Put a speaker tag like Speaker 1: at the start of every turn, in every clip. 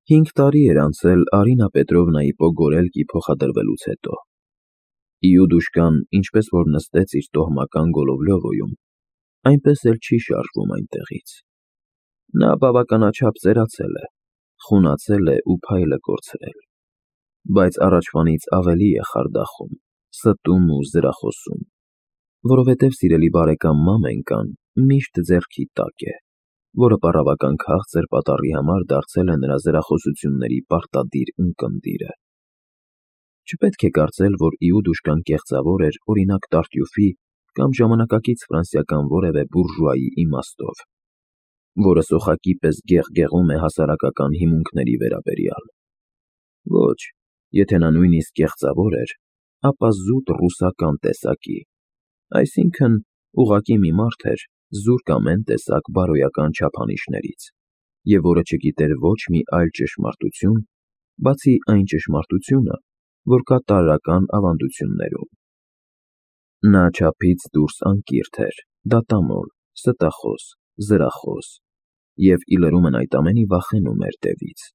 Speaker 1: 5 տարի էր անցել Արինա Պետրովնայի Պոգորելկի փոխադրվելուց հետո։ Իուդուշկան ինչպես որ նստեց իր տոհմական Գոլովլյովոյում, այնպես էլ չի շարժվում այնտեղից։ Նա բավականաչափ ծերացել է, խունացել է ու փայլը կորցրել, բայց առաջվանից ավելի է խարդախում, ստում ու զրախոսում, որովհետև սիրելի բարեկամ Մամենկան միշտ ձեռքի տակ է, որը պառավական քաղցր պատառի համար դարձել է նրա զրախոսությունների պարտադիր ունկնդիրը։ Չպետք է կարծել, որ Իուդուշկան կեղծավոր էր օրինակ Տարտյուֆի կամ ժամանակակից ֆրանսիական որևէ բուրժուայի իմաստով, որը սոխակի պես գեղգեղում է հասարակական հիմունքների վերաբերյալ։ Ոչ, եթե նա նույնիսկ կեղծավոր էր, ապա զուտ ռուսական տեսակի, այսինքն ուղղակի մի մարդ էր զուրկ ամեն տեսակ բարոյական չափանիշներից, և որը չգիտեր ոչ մի այլ ճշմարտություն, բացի այն ճշմարտությունը, որ կա տարրական ավանդություններում։ Նա չափից դուրս անկիրթ էր, դատամոլ, ստախոս, զրախոս և, ի լրումն այդ ամենի, վախենում էր դևից։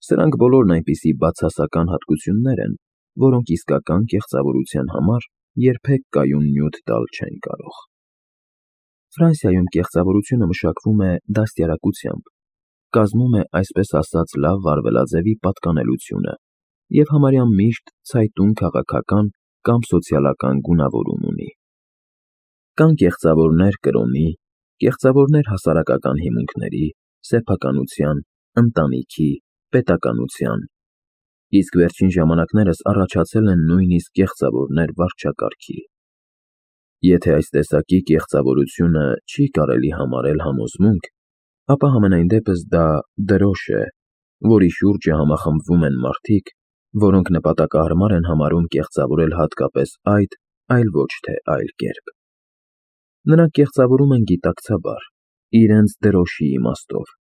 Speaker 1: Սրանք բոլորն այնպիսի բացասական հատկություններ են, որոնք իսկական կեղծավորության համար երբեք կայուն նյութ տալ չեն կարող։ Ֆրանսիայում կեղծավորությունը մշակվում է դաստիարակությամբ, կազմում է այսպես ասած լավ վարվելաձևի պատկանելությունը և համարյա միշտ ցայտուն քաղաքական կամ սոցիալական գունավորում ունի։ Կան կեղծավորներ կրոնի, կեղծավորներ հասարակական հիմունքների, սեփականության, ընտանիքի, պետականության, իսկ վերջին ժամանակներս առաջացել են նույնիսկ կեղծավորներ վարչակարգի։ Եթե այս տեսակի կեղծավորությունը չի կարելի համարել համոզմունք, ապա համենայն դեպս դա դրոշ է, որի շուրջը համախմբվում են մարդիկ, որոնք նպատակահարմար են համարում կեղծավորել հատկապես այդ, այլ ոչ թե այլ կերպ։ Նրանք կեղծավորում են գիտակցաբար, իրենց դրոշի իմաստով,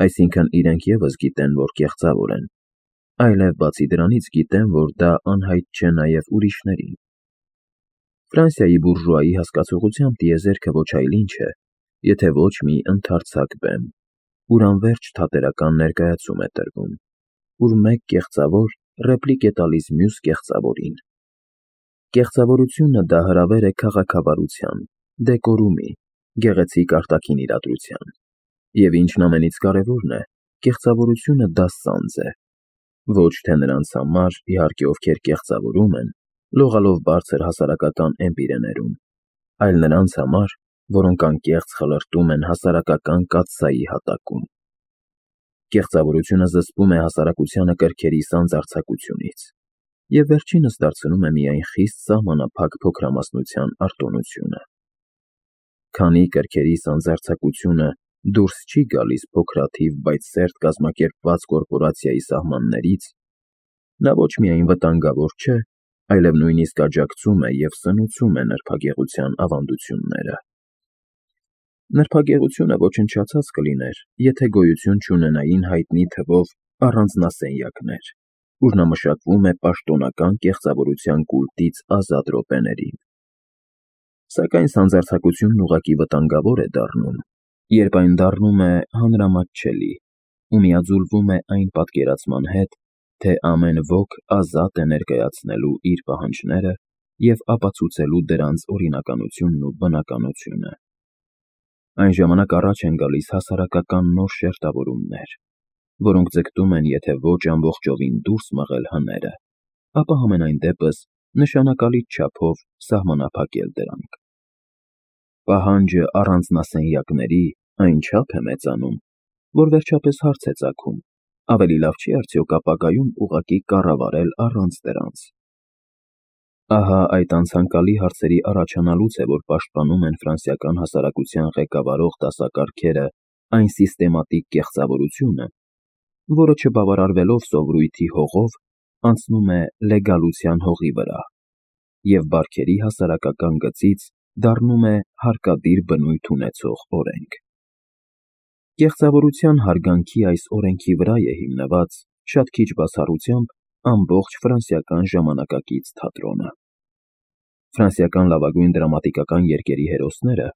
Speaker 1: այսինքն իրենք ևս գիտեն, որ կեղծավոր են, այլև բացի դրանից գիտեն, որ դա անհայտ չէ նաև ուրիշներին։ Ֆրանսիայի բուրժուայի հասկացողությամբ տիեզերքը ոչ այլ ինչ է, եթե ոչ մի ընդարձակ բեմ, ուր անվերջ թատերական ներկայացում է տրվում, ուր մեկ կեղծավոր ռեպլիկ է տալիս մյուս կեղծավորին։ Կեղծավորությունը դա հրավեր է քաղաքավարության, դեկորումի, գեղեցիկ արտաքին իրադրության, և ինչն ամենից կարևորն է, կեղծավորությունը դա սանձ է, ոչ թե նրանց համար, իհարկե, ովքեր կեղծավորում են, լողալով բարձր հասարակական էմպիրեներում, այլ նրանց համար, որոնք անկեղծ խլրտում են հասարակական կաթսայի հատակում։ Կեղծավորությունը զսպում է հասարակությանը կրքերի սանձարձակությունից և վերջինս դարձնում է միայն խիստ սահմանափակ փոքրամասնության արտոնությունը։ Քանի կրքերի սանձարձակությունը դուրս չի գալիս փոքրաթիվ, բայց սերտ կազմակերպված կորպորացիայի սահմաններից, նա ոչ միայն վտանգավոր չէ, այլև նույնիսկ աջակցում է և սնուցում է նրբագեղության ավանդությունները։ Նրբագեղությունը ոչնչացած կլիներ, եթե գոյություն չունենային հայտնի թվով առանձնասենյակներ, ուր նա մշակվում է պաշտոնական կեղծավորության կուլտից ազատ րոպեներին։ Սակայն սանձարձակությունն ուղղակի վտանգավոր է դառնում, երբ այն դառնում է հանրամատչելի ու միաձուլվում է այն պատկերացման հետ, թե ամեն ոք ազատ է ներկայացնելու իր պահանջները և ապացուցելու դրանց օրինականությունն ու բնականությունը։ Այն ժամանակ առաջ են գալիս հասարակական նոր շերտավորումներ, որոնք ձգտում են եթե ոչ ամբողջովին դուրս մղել հները, ապա համենայն դեպս նշանակալի չափով սահմանափակել դրանք։ Պահանջը առանձնասենյակների այնչափ է մեծանում, որ վերջապես հարց է ծագում. ավելի լավ չի արդյոք ապագայում ուղղակի կառավարել առանց դրանց։ Ահա այդ անցանկալի հարցերի առաջանալուց է, որ պաշտպանում են ֆրանսիական հասարակության ղեկավարող դասակարգերը այն սիստեմատիկ կեղծավորությունը, որը չբավարարվելով սովորույթի հողով, անցնում է լեգալության հողի վրա և բարքերի հասարակական գծից դառնում է հարկադիր բնույթ ունեցող օրենք։ Կեղծավորության հարգանքի այս օրենքի վրա է հիմնված, շատ քիչ բացառությամբ, ամբողջ ֆրանսիական ժամանակակից թատրոնը։ Ֆրանսիական լավագույն դրամատիկական երգերի հերոսները,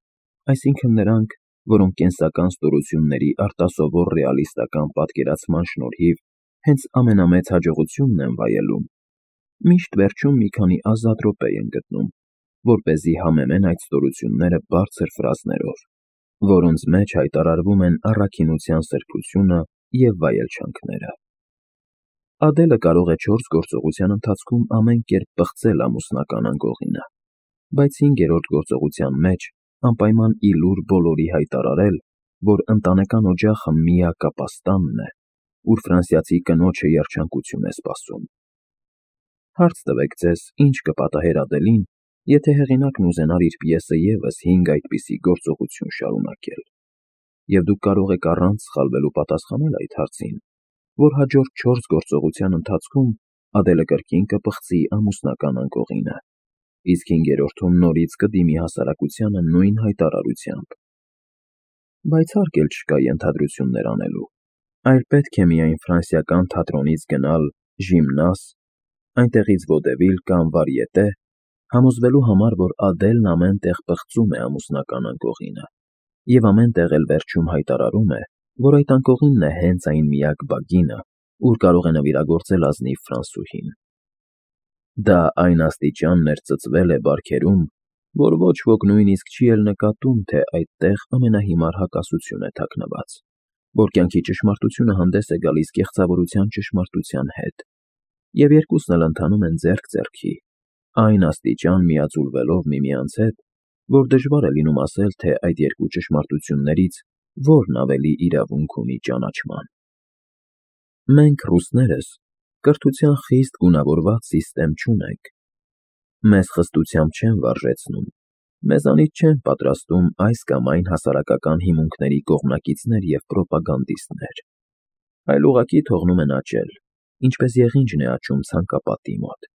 Speaker 1: այսինքն նրանք, որոնք կենսական ստորությունների արտասովոր ռեալիստական պատկերացման շնորհիվ հենց ամենամեծ հաջողությունն են վայելում, միշտ վերջում մի քանի ազատ րոպե են գտնում, որպեսզի համեմեն այդ ստորությունները բարձր ֆրազներով, որոնց մեջ հայտարարվում են առաքինության սրբությունը և վայելչանքները։ Ադելը կարող է 4 գործողության ընթացքում ամեն կերպ պղծել ամուսնական անկողինը, բայց 5-րդ գործողության մեջ անպայման ի լուր բոլորի հայտարարել, որ ընտանեկան օջախը միակապաստանն է, ուր ֆրանսիացի կնոջը երջանկություն է սպասում։ Հարց տվեք ձեզ, ինչ կպատահեր Ադելին, եթե հեղինակն ուզենար իր պիեսը ևս 5 այդպիսի գործողություն շարունակել, և դուք կարող եք առանց սխալվելու պատասխանել այդ հարցին, որ հաջորդ 4 գործողության ընթացքում Ադելը կրկին կպղծի ամուսնական անկողինը, իսկ 5-րդում նորից կդիմի հասարակությանը նույն հայտարարությամբ։ Բայց հարկ էլ չկա ենթադրություններ անելու, այլ պետք է միայն ֆրանսիական թատրոնից գնալ ժիմնազ, այնտեղից ոդևիլ կամ վարիետե, համոզվելու համար, որ Ադելն ամեն տեղ պղծում է ամուսնական անկողինը, և ամեն տեղ էլ վերջում հայտարարում է, որ այդ անկողինն է հենց այն միակ բագինը, ուր կարող է նվիրագործել ազնիվ ֆրանսուհին։ Դա այն աստիճաններ ծծվել է բարքերում, որ ոչ ոք նույնիսկ չի էլ նկատում, թե այդտեղ ամենահիմար հակասություն է թաքնված, որ կյանքի ճշմարտությունը հանդես է գալիս կեղծավորության ճշմարտության հետ, և երկուսն էլ ընթանում են ձեռք ձեռքի, այն աստիճան միաձուլվելով միմյանց հետ, որ դժվար է լինում ասել, թե այդ երկու ճշմարտություններից որն ավելի իրավունք ունի ճանաչման։ Մենք ռուսներս կրթության խիստ գունավորված սիստեմ չունենք։ Մեզ խստությամբ չեն վարժեցնում, մեզանից չեն պատրաստում այս կամ այն հասարակական հիմունքների կողմնակիցներ և պրոպագանդիստներ, այլ ուղղակի թողնում են աճել, ինչպես եղինջն է աճում ցանկապատի մոտ։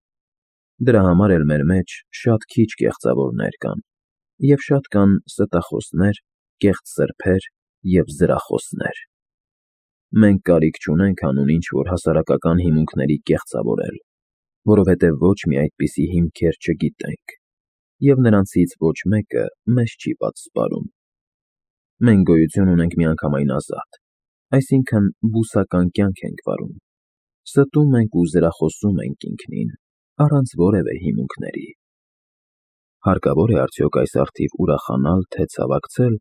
Speaker 1: Դրա համար էլ մեր մեջ շատ քիչ կեղծավորներ կան, և շատ կան ստախոսներ, կեղծ սրբեր և զրախոսներ։ Մենք կարիք չունենք հանուն ինչ-որ հասարակական հիմունքների կեղծավորել, որովհետև ոչ մի այդպիսի հիմքեր չգիտենք, և նրանցից ոչ մեկը մեզ չի պատսպարում։ Մենք գոյություն ունենք միանգամայն ազատ, այսինքն բուսական կյանք ենք վարում, ստում ենք ու զրախոսում ենք ինքնին, առանց որևէ հիմունքների։ Հարկավոր է արդյոք այս առթիվ ուրախանալ, թե ցավակցել,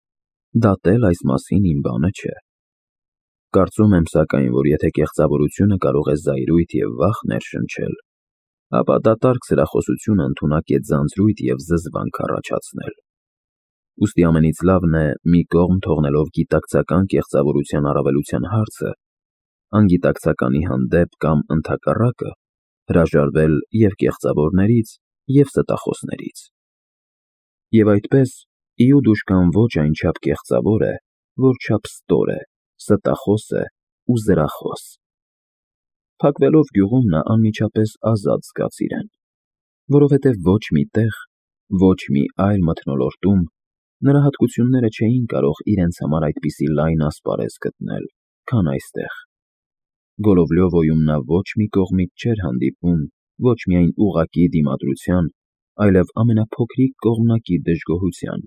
Speaker 1: դատել այս մասին իմ բանը չէ։ Կարծում եմ, սակայն, որ եթե կեղծավորությունը կարող է զայրույթ և վախ ներշնչել, ապա դատարկ զրախոսությունը ընդունակ է ձանձրույթ և զզվանք առաջացնել։ Ուստի ամենից լավն է մի կողմ թողնելով գիտակցական կեղծավորության առավելության հարցը, անգիտակցականի հանդեպ կամ ընդհակառակը, հրաժարվել և կեղծավորներից, և ստախոսներից։ Եվ այդպես, իուդուշկան ոչ այնչափ կեղծավոր է, որչափ ստոր է, ստախոս է ու զրախոս։ Փակվելով գյուղում նա անմիջապես ազատ զգաց իրեն, որովհետև ոչ մի տեղ, ոչ մի այլ մթնոլորտում նրա հատկությունները չէին կարող իրենց համար այդպիսի լայն ասպարեզ գտնել, քան այստեղ։ Գոլովլյովոյում նա ոչ մի կողմից չէր հանդիպում ոչ միայն ուղղակի դիմադրության, այլև ամենափոքրիկ կողմնակի դժգոհության,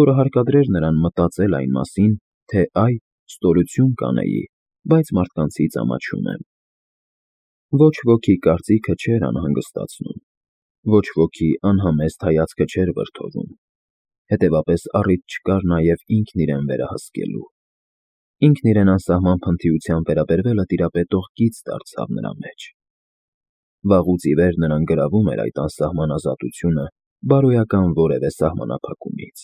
Speaker 1: որը հարկադրեր նրան մտածել այն մասին, թե այ, ստորություն կանեի, բայց մարդկանցից ամաչում եմ։ Ոչ ոքի կարծիքը չէր անհանգստացնում, ոչ ոքի անհամեստ հայացքը չէր վրդովում, հետևապես առիթ չկար նաև ինքն իրեն վերահսկելու։ Ինքն իրեն անսահման փնթիությամբ վերաբերվելը տիրապետող գիծ դարձավ նրա մեջ։ Վաղուց ի վեր նրան գրավում էր այդ անսահման ազատությունը բարոյական որևէ սահմանափակումից,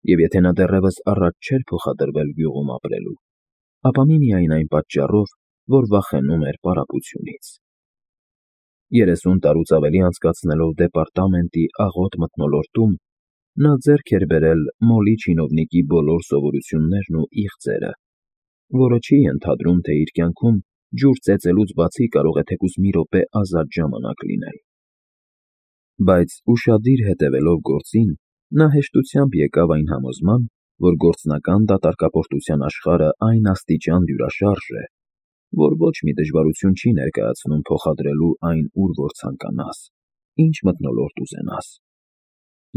Speaker 1: և եթե նա դեռևս առաջ չէր փոխադրվել գյուղում ապրելու, ապա միմիայն այն պատճառով, որ վախենում էր պարապությունից։ 30 տարուց ավելի անցկացնելով դեպարտամենտի աղոտ մթնոլորտում, նա ձեռք էր բերել մոլի չինովնիկի բոլոր սովորություններն ու իղձերը, որը չի ենթադրում, թե իր կյանքում ջուր ծեծելուց բացի կարող է թեկուզ մի րոպե ազատ ժամանակ լինել։ Բայց ուշադիր հետևելով գործին, նա հեշտությամբ եկավ այն համոզման, որ գործնական դատարկապորտության աշխարհը այն աստիճան դյուրաշարժ է, որ ոչ մի դժվարություն չի ներկայացնում փոխադրելու այն ուր որ ցանկանաս, ինչ մթնոլորտ ուզենաս։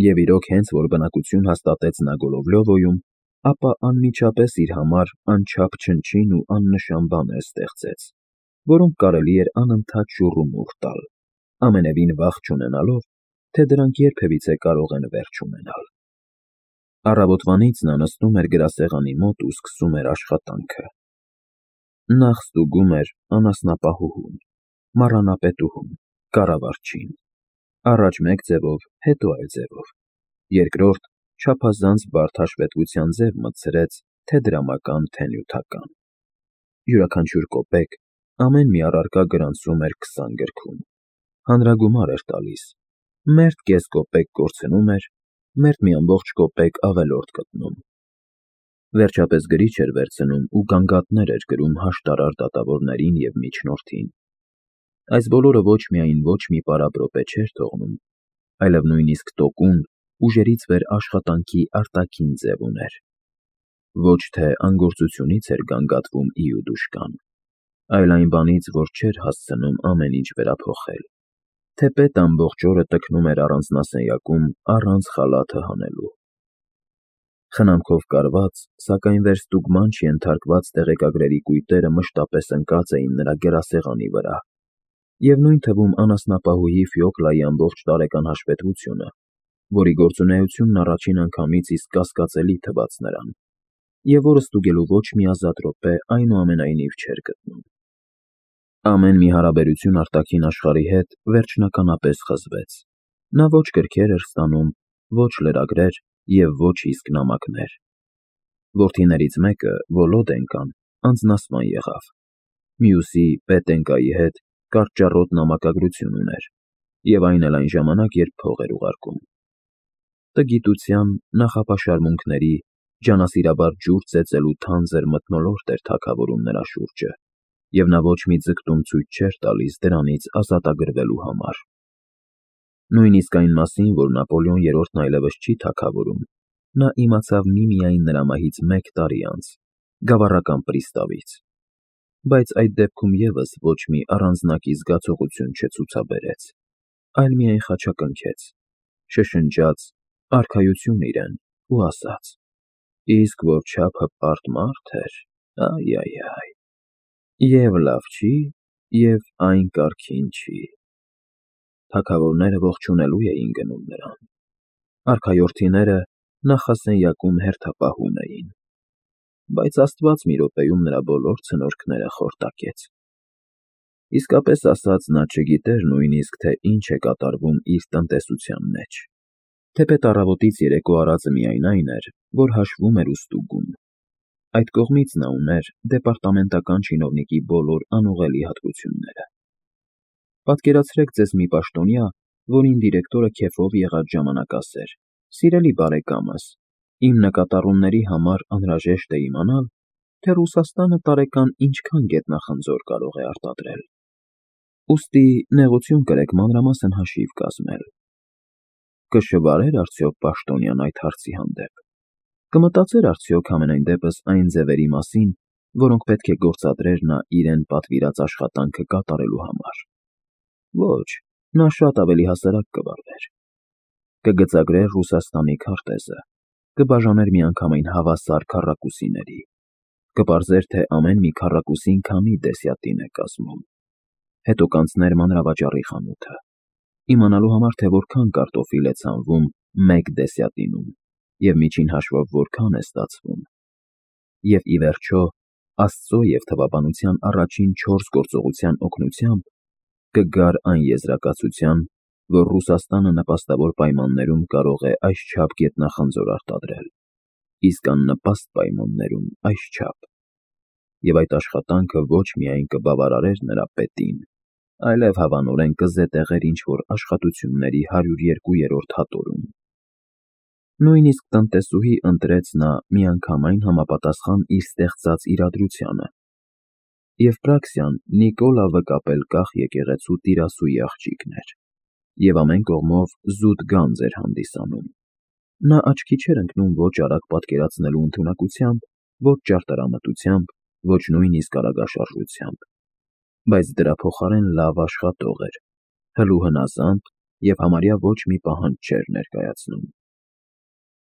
Speaker 1: Եվ իրոք հենց որ բնակություն հաստատեց նա Գոլովլյովոյում, ապա անմիջապես իր համար անչափ չնչին ու աննշան բաներ ստեղծեց, որոնք կարելի էր անընդհատ շուռումուռ տալ, ամենևին վախ չունենալով, թե դրանք երբևիցե կարող են վերջ ունենալ։ Առավոտվանից նա նստում էր գրասեղանի մոտ ու սկսում էր աշխատանքը։ Նախ ստուգում էր անասնապահուհուն, մառանապետուհուն, կառավարչին, առաջ մեկ ձևով, հետո այլ ձևով, երկրորդ չափազանց բարդ հաշվետվության ձև մտցրեց թե դրամական, թե նյութական։ Յուրաքանչյուր կոպեկ ամեն մի առարկա գրանցում էր 20 գրքում, հանրագումար էր տալիս, մերթ կես կոպեկ կորցնում էր, մերթ մի ամբողջ կոպեկ ավելորդ գտնում։ Վերջապես գրիչ էր վերցնում ու գանգատներ էր գրում հաշտարար դատավորներին և միջնորդին։ Այս բոլորը ոչ միայն ոչ մի պարապրոպե չէր թողնում, այլև նույնիսկ տոկուն, ուժերից վեր աշխատանքի արտաքին ձև ուներ։ Ոչ թե անգործությունից էր գանգատվում Իուդուշկան, այլ այն բանից, որ չէր հասցնում ամեն ինչ վերափոխել, թեպետ ամբողջ օրը տքնում էր առանձնասենյակում առանց խալաթը հանելու։ Խնամքով կարված, սակայն վերստուգման չենթարկված տեղեկագրերի կույտերը մշտապես ընկած էին նրա գրասեղանի վրա, և նույն թվում անասնապահուհի Ֆյոկլայի ամբողջ տարեկան հաշվետվությունը, որի գործունեությունն առաջին անգամից իսկ կասկածելի թվաց նրան, և որը ստուգելու ոչ մի ազատ րոպե այնուամենայնիվ չէր գտնում։ Ամեն մի հարաբերություն արտաքին աշխարհի հետ վերջնականապես խզվեց։ Նա ոչ գրքեր էր ստանում, ոչ լրագրեր և ոչ իսկ նամակներ։ Որդիներից մեկը, Վոլոդենկան, անձնասման եղավ, մյուսի՝ Պետենկայի հետ կարճառոտ նամակագրություն ուներ, և այն էլ այն ժամանակ, երբ փող էր ուղարկում։ Տգիտության, նախապաշարմունքների, ջանասիրաբար ջուր ծեծելու թանձր մթնոլորտ էր թագավորում նրա շուրջը, և նա ոչ մի ձգտում ցույց չէր տալիս դրանից ազատագրվելու համար։ Նույնիսկ այն մասին, որ Նապոլեոն III-ն այլևս չի թագավորում, նա իմացավ միմիայն նրա մահից 1 տարի անց, գավառական պրիստավից, բայց այդ դեպքում ևս ոչ մի առանձնակի զգացողություն չցուցաբերեց, այլ միայն խաչակնքեց, շշնջաց արքայություն իրեն ու ասաց. «Իսկ որ չափ հպարտ մարդ էր, այ, և լավ չի, և այն կարգին չի»։ Թագավորները ողջունելու էին գնում նրան, արքայորդիները նախասենյակում հերթապահում էին, բայց Աստված մի րոպեում նրա բոլոր ցնորքները խորտակեց։ Իսկապես ասած, նա չգիտեր նույնիսկ, թե ինչ է կատարվում իր տնտեսության մեջ, թեպետ առավոտից երեկո արածը միայն այն էր, որ հաշվում էր ու ստուգում։ Այդ կողմից նա ուներ դեպարտամենտական չինովնիկի բոլոր անուղղելի հատկությունները։ Պատկերացրեք ձեզ մի պաշտոնյա, որին դիրեկտորը քեֆով եղած ժամանակ ասեր. «Սիրելի բարեկամս, իմ նկատառումների համար անհրաժեշտ է իմանալ, թե Ռուսաստանը տարեկան ինչքան գետնախնձոր կարող է արտադրել։ Ուստի նեղություն կրեք մանրամասն հաշիվ կազմել»։ Կշվարե՞ր արդյոք պաշտոնյան այդ հարցի հանդեպ։ Կմտածե՞ր արդյոք համենայն դեպս այն ձևերի մասին, որոնք պետք է գործադրեր նա իրեն պատվիրած աշխատանքը կատարելու համար։ Ոչ, նա շատ ավելի հասարակ կվարվեր։ Կգծագրեր Ռուսաստանի քարտեզը, կբաժաներ միանգամայն հավասար քառակուսիների, կպարզեր, թե ամեն մի քառակուսին քանի դեսյատին է կազմում, հետո կանցներ մանրավաճառի խանութը, իմանալու համար, թե որքան կարտոֆիլ է ցանվում 1 դեսյատինում և միջին հաշվով որքան է ստացվում, և ի վերջո, Աստծո և թվաբանության առաջին 4 գործողության օգնությամբ կգար այն եզրակացության, որ Ռուսաստանը նպաստավոր պայմաններում կարող է այսչափ գետնախնձոր արտադրել, իսկ աննպաստ պայմաններում այսչափ, և այդ աշխատանքը ոչ միայն կբավարարեր նրա պետին, այլև հավանորեն կզետեղեր ինչ-որ աշխատությունների 102-րդ հատորում։ Նույնիսկ տնտեսուհի ընտրեց նա միանգամայն համապատասխան իր ստեղծած իրադրությանը, և Պրաքսիան Նիկոլա Վկապելկախ եկեղեցու տիրասույի աղջիկն էր, և ամեն կողմով զուտ գանձ էր հանդիսանում։ Նա աչքի չէր ընկնում ոչ արագ պատկերացնելու ընդունակությամբ, ոչ ճարտարամտությամբ, ոչ նույնիսկ արագաշարժությամբ, բայց դրա փոխարեն լավ աշխատող էր, հլու հնազանդ և համարյա ոչ մի պահանջ չէր ներկայացնում։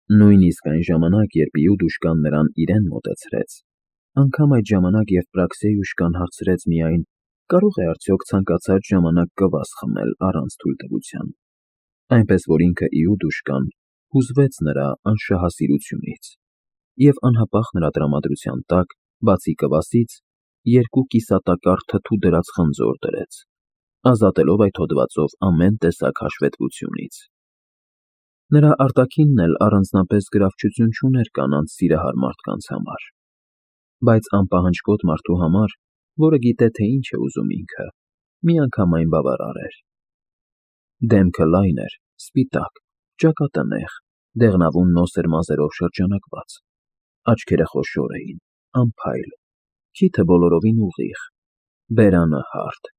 Speaker 1: Նույնիսկ այն ժամանակ, երբ Իուդուշկան նրան իրեն մոտեցրեց, անգամ այդ ժամանակ Եվպրաքսիոյուշկան հարցրեց միայն. կարող է արդյոք ցանկացած ժամանակ կվաս խմել առանց թույլտվության, այնպես որ ինքը Իուդուշկան հուզվեց նրա անշահասիրությունից և անհապաղ նրա տրամադրության տակ, բացի կվասից, 2 կիսատակառ թթու դրած խնձոր դրեց, ազատելով այդ հոդվածով ամեն տեսակ հաշվետվությունից։ Նրա արտաքինն էլ առանձնապես գրավչություն չուներ կանանց սիրահար մարդկանց համար, բայց անպահանջկոտ մարդու համար, որը գիտե, թե ինչ է ուզում ինքը, միանգամայն բավարար էր։ Դեմքը լայն էր, սպիտակ, ճակատանեղ, դեղնավուն նոսր մազերով շրջանակված, աչքերը խոշոր էին, անփայլ, քիթը բոլորովին ուղիղ, բերանը հարթ,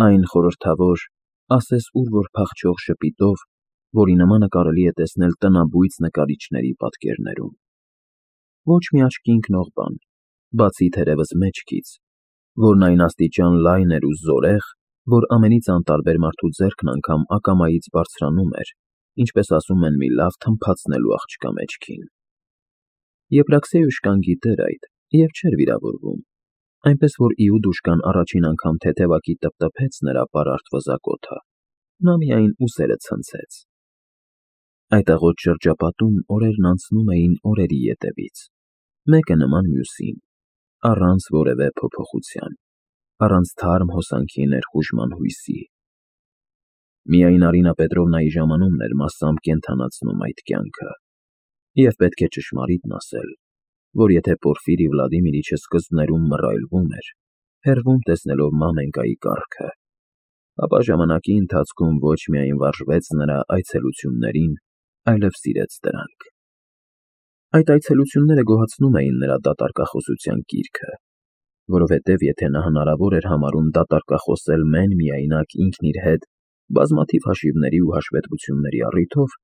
Speaker 1: այն խորհրդավոր, ասես ուր որ փախչող ժպիտով, որի նմանը կարելի է տեսնել տնաբույծ նկարիչների պատկերներում։ Ոչ մի աչքի ընկնող բան, բացի թերևս մեջքից, որն այն աստիճան լայն էր ու զորեղ, որ ամենից անտարբեր մարդու ձեռքն անգամ ակամայից բարձրանում էր, ինչպես ասում են մի լավ թմփացնելու աղջկա մեջքին։ Եվպրաքսիոյուշկան գիտեր այդ և չէր վիրավորվում, այնպես որ Իուդուշկան առաջին անգամ թեթևակի տպտպեց նրա պարարտ վզակոթը, նա միայն ուսերը ցնցեց։ Այդ աղոտ շրջապատում օրերն անցնում էին օրերի ետևից, մեկը նման մյուսին, առանց որևէ փոփոխության, առանց թարմ հոսանքի ներխուժման հույսի։ Միայն Արինա Պետրովնայի ժամանումն էր մասամբ կենդանացնում այդ կյանքը, և պետք է ճշմարիտն ասել, որ եթե Պորֆիրի Վլադիմիրիչը սկզբներում մռայլվում էր, հեռվում տեսնելով մամենկայի կառքը, ապա ժամանակի ընթացքում ոչ միայն վարժվեց նրա այցելություններին, այլև սիրեց դրանք։ Այդ այցելությունները գոհացնում էին նրա դատարկախոսության կիրքը, որովհետև եթե նա հնարավոր էր համարում դատարկախոսել մեն-միայնակ ինքն իր հետ բազմաթիվ հաշիվների ու հաշվետվությունների առիթով,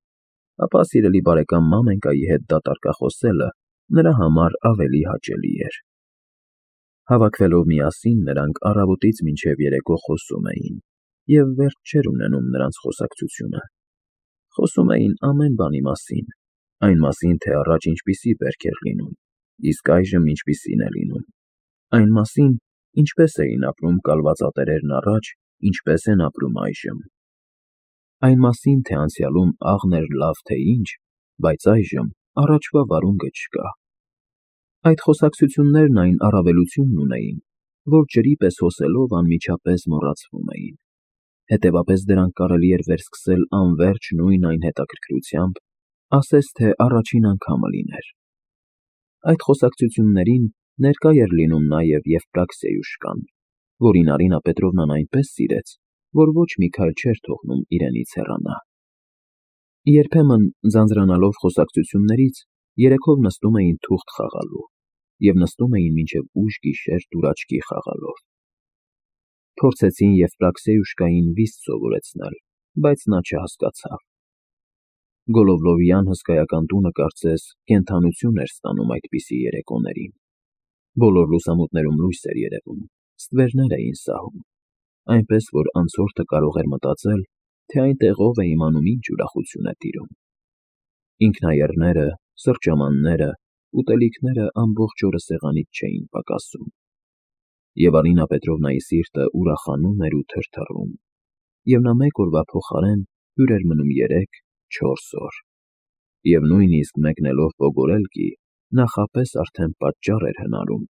Speaker 1: ապա սիրելի բարեկամ մամենկայի հետ դատարկախոսելը նրա համար ավելի հաճելի էր։ Հավաքվելով միասին նրանք առավոտից մինչև երեկո խոսում էին, և վերջ չէր ունենում նրանց խոսակցությունը։ Խոսում էին ամեն բանի մասին, այն մասին, թե առաջ ինչպիսի բերք էր լինում, իսկ այժմ ինչպիսին է լինում, այն մասին, ինչպես էին ապրում կալվածատերերն առաջ, ինչպես են ապրում այժմ, այն մասին, թե անցյալում աղն էր լավ թե ինչ, բայց այժմ առաջվա վարունգը չկա։ Այդ խոսակցություններն այն առավելությունն ունեին, որ ջրի պես հոսելով անմիջապես մոռացվում էին, հետևապես դրանք կարելի էր վերսկսել անվերջ նույն այն հետաքրքրությամբ, ասես թե առաջին անգամը լիներ։ Այդ խոսակցություններին ներկա էր լինում նաև Եվպրաքսիոյուշկան, որին Արինա Պետրովնան այնպես սիրեց, որ ոչ մի քայլ չէր թողնում իրենից հեռանա։ Երբեմն, ձանձրանալով խոսակցություններից, երեքով նստում էին թուղթ խաղալու և նստում էին մինչև ուշ գիշեր դուրաչքի խաղալով։ Փորձեցին Եվպրաքսիոյուշկային վիստ սովորեցնել, բայց նա չհասկացավ։ Գոլովլովյան հսկայական տունը կարծես կենդանություն էր ստանում այդպիսի երեկոներին։ Բոլոր լուսամուտներում լույս էր երևում, ստվերներ էին սահում, այնպես որ անցորդը կարող էր մտածել, թե այնտեղով է իմանում ինչ ուրախություն է տիրում։ Ինքնաեռները, սրճամանները, ուտելիքները ամբողջ օրը սեղանից չէին պակասում։ Եվ Արինա Պետրովնայի սիրտը ուրախանում էր ու թրթռում, և նա մեկ օրվա փոխարեն հյուր էր մնում 3-4 օր, և նույնիսկ մեկնելով Պոգորելկի, նախապես արդեն պատճառ էր հնարում,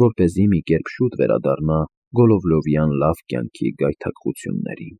Speaker 1: որպեսզի մի կերպ շուտ վերադառնա Գոլովլովյան լավ կյանքի գայթակղություններին։